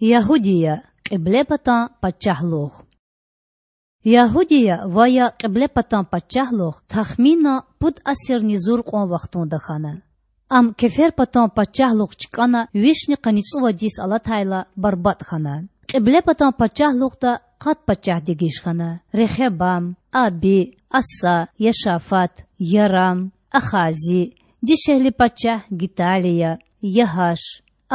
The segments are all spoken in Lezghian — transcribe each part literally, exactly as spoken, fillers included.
Ягьудия, Кьиблепатан пачагьлугъ. Ягьудия ва я Кьиблепатан пачагьлугъ тахминан пуд асирни зур кьван вахтунда хьана. Ам Кеферпатан пачагьлугъ чкӀана вишни къанни цӀувад йис алатайла барбатӀ хьана. Кьиблепатан пачагьлугъда къад пачагь дегиш хьана: Рехебам, Аби, Аса, Яшафат, Ярам, Ахази, дишегьли пачагь Гиталия, Ягьаш,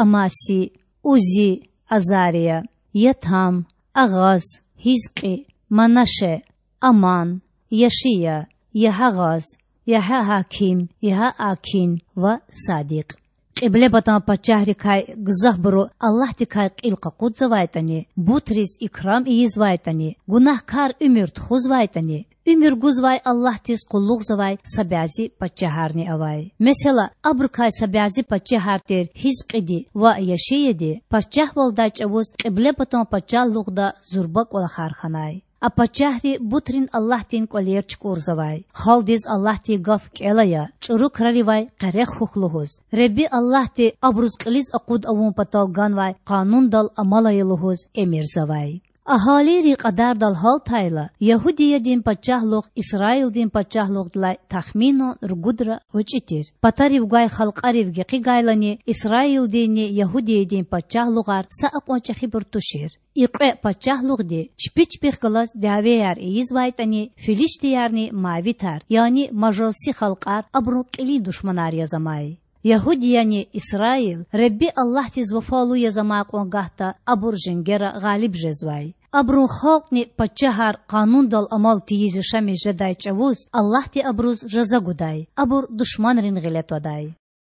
Амаси, Узи, Азария, Ятам, Агъаз, Гьизкьи, Манаше, Аман, Яшия, Ягьагъаз, Ягьагьаким, Ягьаакин ва Садикь. Кьиблепатан пачагьрикай гзафбуру Аллагьдикай кьил къакъудзавайтӀани, бутриз икрам ийизвайтӀани, гунагькар уьмуьр тухузвайтӀани, уьмуьр гузвай Аллагьдиз къуллугъзавай са бязи пачагьарни авай. Месела, абурукай са бязи пачагьар тир Гьизкьиди ва Яшияди пачагьвалдай чӀавуз Кьиблепатан пачагьлугъда зурба кӀвалахар хьанай. А пачагьри бутрин аллагьдин кӀвалер чукӀурзавай, халкьдиз Аллагьдин гаф кӀел ая, чӀуру краривай къерех хьухь лугьуз, Худа Аллагьди абуруз кьилиз акъуд авун патал ганвай къанундал амал ая лугьуз эмирзавай. Агьалийрин кьадардал гьалтайла, Ягьудиядин пачагьлугъ Исраилдин пачагьлугъдилай тахминан ругудра гъвечӀи тир. Патарив гвай халкьарив гекъигайлани, Исраилдинни Ягьудиядин пачагьлугъар са акьван чӀехибур тушир. И кьве пачагьлугъди чпи чпихъ галаз дявеяр ийизвайтӀани, филиштиярни мавитар, яни мажуси халкьар абурун кьилин душманар яз амай. Ягьудияни Исраил Худа Аллагьдиз вафалу яз амай кьван гагьда абур женгера гъалиб жезвай. Абурун халкьни пачагьар къанундал амал тийиз яшамиш жедай чӀавуз Аллагьди абуруз жаза гудай, абур душманрин гъиле твадай.